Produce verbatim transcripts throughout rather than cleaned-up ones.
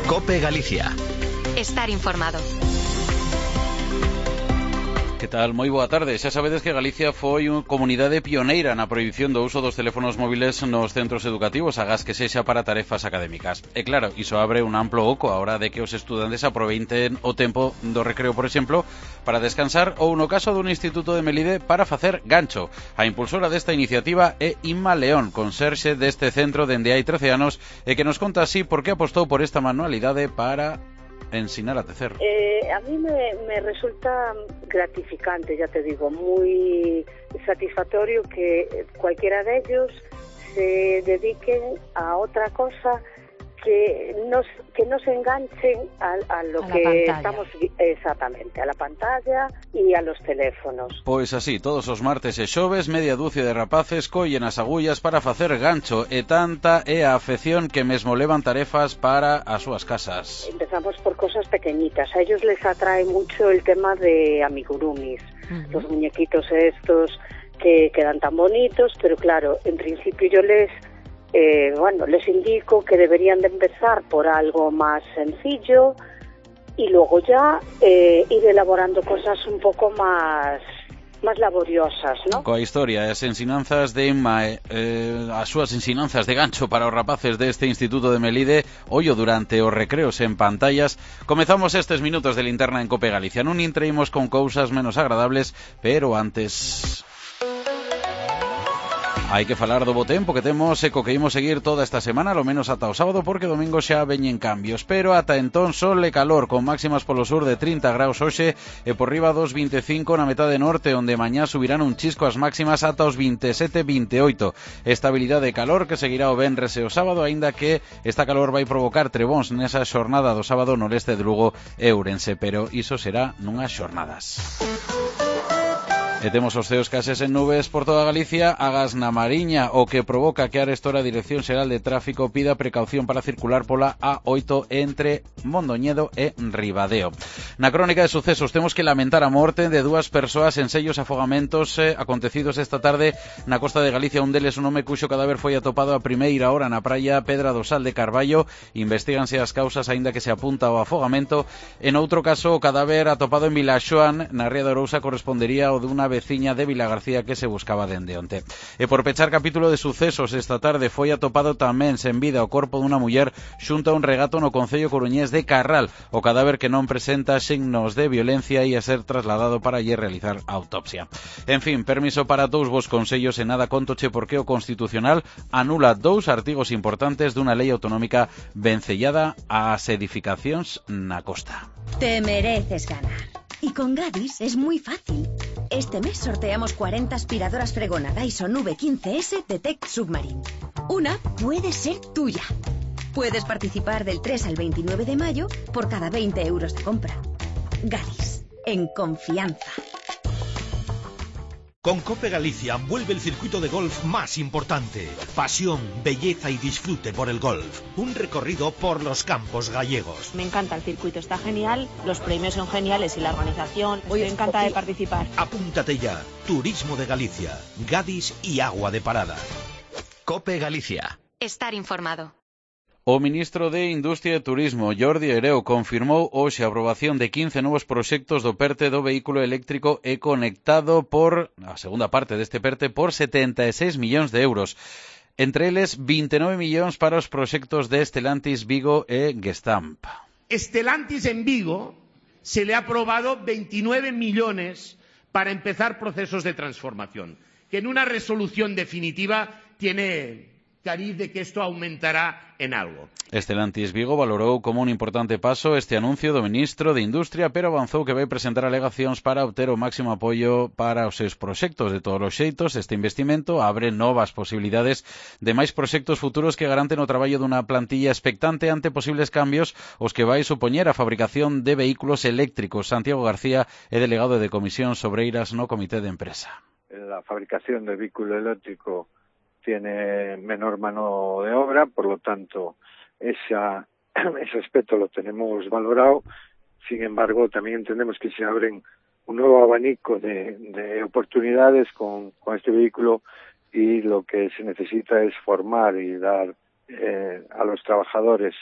COPE Galicia. Estar informado. Que tal? Moi boa tarde. Xa sabedes que Galicia foi unha comunidade pioneira na prohibición do uso dos teléfonos móviles nos centros educativos, agás que sexa para tarefas académicas. E claro, iso abre un amplo oco a hora de que os estudantes aproveiten o tempo do recreo, por exemplo, para descansar ou, no caso dun instituto de Melide, para facer gancho. A impulsora desta iniciativa é Inma León, conserxe deste centro dende hai trece anos, e que nos conta así por que apostou por esta manualidade para ensinar a tecer. Eh, a mí me, me resulta gratificante, ya te digo, muy satisfactorio que cualquiera de ellos se dediquen a otra cosa que nos que no se enganchen a, a lo a que estamos exactamente, a la pantalla y a los teléfonos. Pois así, todos os martes e xoves, media dúcia de rapaces collen as agullas para facer gancho, e tanta é a afección que mesmo levan tarefas para as súas casas. Empezamos por cosas pequeñitas. A ellos les atrae mucho el tema de amigurumis, uh-huh. Los muñequitos estos que quedan tan bonitos, pero claro, en principio yo les Eh, bueno, les indico que deberían de empezar por algo más sencillo y luego ya eh, ir elaborando cosas un poco más más laboriosas, ¿no? Coa historia, as ensinanzas de Inma, eh, as súas ensinanzas de gancho para os rapaces deste Instituto de Melide, ollo durante os recreos en pantallas. Comezamos estes minutos de linterna en COPE Galicia. Non intreimos con cousas menos agradables, pero antes... Hai que falar do bo tempo que temos e co que imos seguir toda esta semana, lo menos ata o sábado, porque domingo xa veñen cambios. Pero ata entón sol e calor, con máximas polo sur de trinta graus hoxe e por riba dos vinte e cinco na metade norte, onde mañá subirán un chisco as máximas ata os vinte e sete vinte e oito. Estabilidade e calor que seguirá o venres e o sábado, aínda que esta calor vai provocar trebóns nesa xornada do sábado no leste de Lugo e Ourense, pero iso será nunhas xornadas. E temos os ceos cases en nubes por toda Galicia, agás na Mariña, o que provoca que a arestora Dirección Xeral de Tráfico pida precaución para circular pola A oito entre Mondoñedo e Ribadeo. Na crónica de sucesos temos que lamentar a morte de dúas persoas en sellos afogamentos eh, acontecidos esta tarde na costa de Galicia. Un deles, un home cuxo cadáver foi atopado a primeira hora na praia Pedra do Sal de Carballo. Investíganse as causas, aínda que se apunta ao afogamento. En outro caso, o cadáver atopado en Vilaxoán, na Ría de Arousa, correspondería ao dunha veciña de Vilagarcía que se buscaba dende onte. E por pechar capítulo de sucesos, esta tarde foi atopado tamén sen vida o corpo dunha muller xunto a un regato no concello coruñés de Carral. O cadáver, que non presenta signos de violencia, ia ser trasladado para lle realizar autopsia. En fin, permiso para dous vos consellos e nada contoche porque o Constitucional anula dous artigos importantes dunha lei autonómica vencellada ás edificacións na costa. Te mereces ganar. Y con Gadis es muy fácil. Este mes sorteamos cuarenta aspiradoras Fregona Dyson V quince ese de Tech Submarine. Una puede ser tuya. Puedes participar del tres al veintinueve de mayo por cada veinte euros de compra. Gadis, en confianza. Con COPE Galicia vuelve el circuito de golf más importante. Pasión, belleza y disfrute por el golf. Un recorrido por los campos gallegos. Me encanta el circuito, está genial, los premios son geniales y la organización. Estoy encantada de participar. Apúntate ya. Turismo de Galicia, Gadis y Agua de Parada. COPE Galicia. Estar informado. O ministro de Industria e Turismo, Jordi Hereu, confirmou hoxe a aprobación de quince novos proxectos do PERTE do vehículo eléctrico e conectado por, a segunda parte deste PERTE, por setenta e seis millóns de euros. Entre eles, vinte e nove millóns para os proxectos de Stellantis, Vigo e Gestamp. Stellantis en Vigo se le ha aprobado veintinueve millones para empezar procesos de transformación, que en una resolución definitiva tiene cariz de que esto aumentará en algo. Stellantis Vigo valorou como un importante paso este anuncio do ministro de Industria, pero avanzou que vai presentar alegacións para obter o máximo apoio para os seus proxectos. De todos os xeitos, este investimento abre novas posibilidades de máis proxectos futuros que garanten o traballo dunha plantilla expectante ante posibles cambios os que vai supoñer a fabricación de vehículos eléctricos. Santiago García é delegado de Comisións Obreiras no Comité de Empresa. La fabricación de vehículo eléctrico tiene menor mano de obra, por lo tanto, esa, ese aspecto lo tenemos valorado. Sin embargo, también entendemos que se abren un nuevo abanico de, de oportunidades con, con este vehículo y lo que se necesita es formar y dar eh, a los trabajadores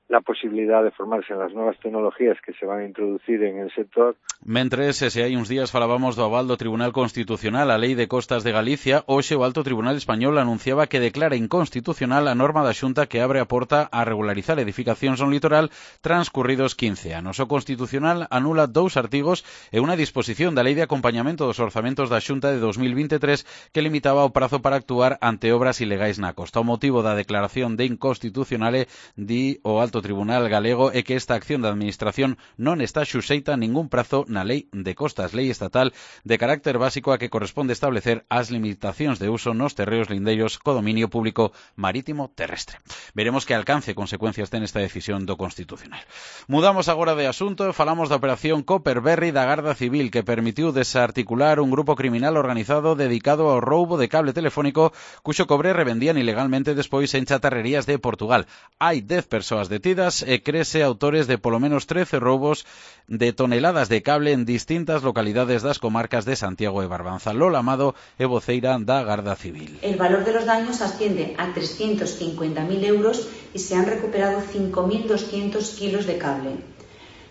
la posibilidad de formarse en las nuevas tecnologías que se van a introducir en el sector. Mentres, se hai uns días falábamos do aval do Tribunal Constitucional a Lei de Costas de Galicia, hoxe o Alto Tribunal Español anunciaba que declara inconstitucional a norma da Xunta que abre a porta a regularizar edificacións no litoral transcurridos quince anos. O Constitucional anula dous artigos e unha disposición da Lei de Acompañamento dos Orzamentos da Xunta de dos mil veintitrés que limitaba o prazo para actuar ante obras ilegais na costa. O motivo da declaración de inconstitucional di o Alto Tribunal galego é que esta acción da Administración non está xuxeita a ningún prazo na Lei de Costas, lei estatal de carácter básico a que corresponde establecer as limitacións de uso nos terreos lindeiros co dominio público marítimo terrestre. Veremos que alcance e consecuencias ten esta decisión do Constitucional. Mudamos agora de asunto e falamos da operación Copperberry da Garda Civil que permitiu desarticular un grupo criminal organizado dedicado ao roubo de cable telefónico cuxo cobre revendían ilegalmente despois en chatarrerías de Portugal. Hai dez persoas detidas e crese autores de polo menos trece roubos de toneladas de cable en distintas localidades das comarcas de Santiago e Barbanza. Lola Amado é voceira da Garda Civil. El valor de los daños asciende a trescientos cincuenta mil euros y se han recuperado cinco mil doscientos kilos de cable.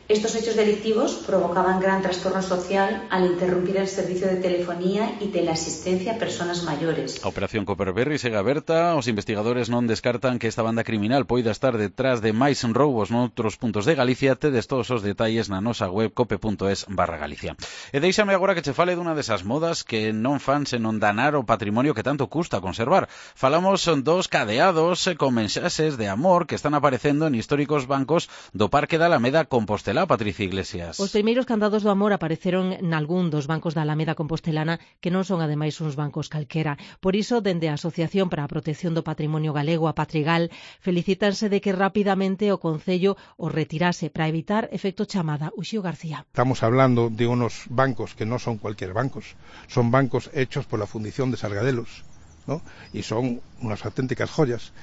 Estos hechos delictivos provocaban gran trastorno social al interrumpir el servicio de telefonía y teleasistencia a personas mayores. A operación Copperberry segue aberta. Os investigadores non descartan que esta banda criminal poida estar detrás de máis roubos noutros puntos de Galicia. Tedes todos os detalles na nosa web cope punto es barra Galicia. E deixame agora que che fale dunha desas modas que non fan senón danar o patrimonio que tanto custa conservar. Falamos dos cadeados con mensaxes de amor que están aparecendo en históricos bancos do Parque da Alameda Compostela. Patricia Iglesias. Os primeiros candados do amor apareceron nalgún dos bancos da Alameda Compostelana que non son ademais uns bancos calquera. Por iso, dende a Asociación para a Protección do Patrimonio Galego, a Patrigal, felicítanse de que rapidamente o Concello os retirase para evitar efecto chamada. Uxío García. Estamos hablando de unos bancos que non son cualquier bancos, son bancos hechos por la Fundición de Sargadelos, ¿no? Y son unas auténticas joyas.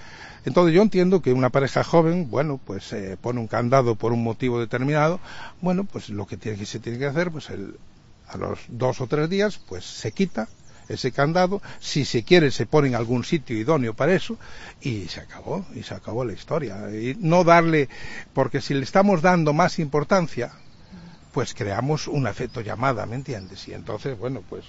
Entonces yo entiendo que una pareja joven, bueno, pues eh, pone un candado por un motivo determinado, bueno, pues lo que, tiene, que se tiene que hacer, pues el, a los dos o tres días, pues se quita ese candado, si se quiere se pone en algún sitio idóneo para eso, y se acabó, y se acabó la historia. Y no darle, porque si le estamos dando más importancia, pues creamos un efecto llamada, ¿me entiendes? Y entonces, bueno, pues...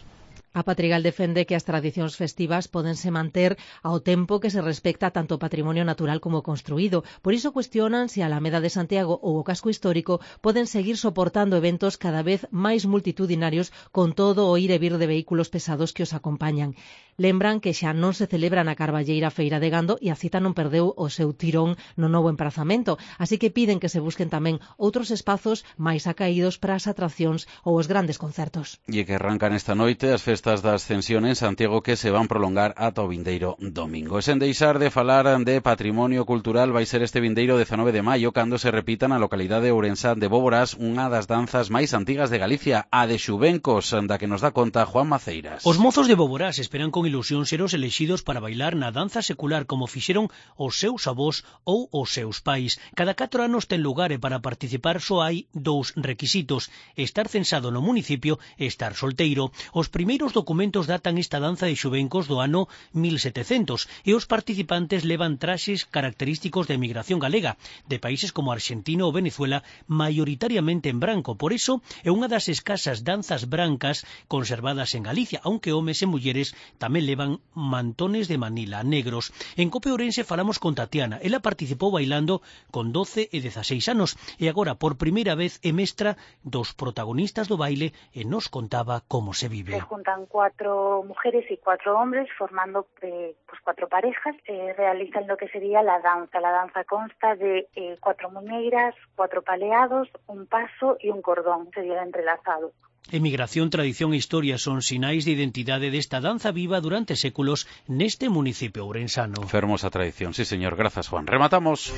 A Patrigal defende que as tradicións festivas pódense manter ao tempo que se respecta tanto o patrimonio natural como construído. Por iso cuestionan se a Alameda de Santiago ou o casco histórico poden seguir soportando eventos cada vez máis multitudinarios con todo o ir e vir de vehículos pesados que os acompañan. Lembran que xa non se celebra na carballeira Feira de Gando e a cita non perdeu o seu tirón no novo emprazamento, así que piden que se busquen tamén outros espazos máis acaídos para as atraccións ou os grandes concertos. E que arrancan esta noite as festas da Ascensión en Santiago que se van prolongar ata o vindeiro domingo. E sen deixar de falar de patrimonio cultural, vai ser este vindeiro dezanove de maio cando se repita na localidade ourensá de Bóboras unha das danzas máis antigas de Galicia, a de Xuvencos, da que nos dá conta Juan Maceiras. Os mozos de Bóboras esperan con ilusión ser os elexidos para bailar na danza secular como fixeron os seus avós ou os seus pais. Cada catro anos ten lugar e para participar só hai dous requisitos: estar censado no municipio e estar solteiro. Os primeiros documentos datan esta danza de Xuvencos do ano mil setecentos e os participantes levan traxes característicos da emigración galega de países como Argentina ou Venezuela, maioritariamente en branco. Por iso é unha das escasas danzas brancas conservadas en Galicia, aunque homes e mulleres tamén levan mantones de Manila negros. En Cope Ourense falamos con Tatiana. Ela participou bailando con doce e dezaseis anos e agora por primeira vez é mestra dos protagonistas do baile e nos contaba como se vive. Se juntan cuatro mujeres y cuatro hombres formando eh, pues cuatro parejas, eh, realizan lo que sería la danza. La danza consta de eh, cuatro muñeiras, cuatro paleados, un paso y un cordón, sería entrelazado. Emigración, tradición e historia son sinais de identidade desta danza viva durante séculos neste municipio ourensano. Fermosa tradición, sí señor, grazas Juan. Rematamos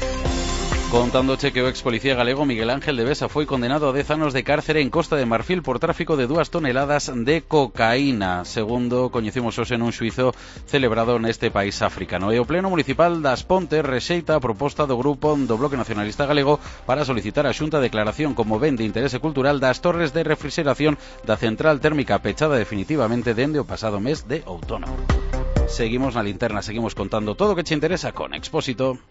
contándoche que o ex policía galego Miguel Ángel de Besa foi condenado a dez anos de cárcere en Costa de Marfil por tráfico de dúas toneladas de cocaína, segundo coñecimos hoxe nun xuizo celebrado neste país africano. E o Pleno Municipal das Pontes rexeita a proposta do grupo do Bloque Nacionalista Galego para solicitar a Xunta a declaración como ben de interese cultural das torres de refrigeración da central térmica pechada definitivamente dende o pasado mes de outono. Seguimos na linterna, seguimos contando todo o que che interesa con Expósito.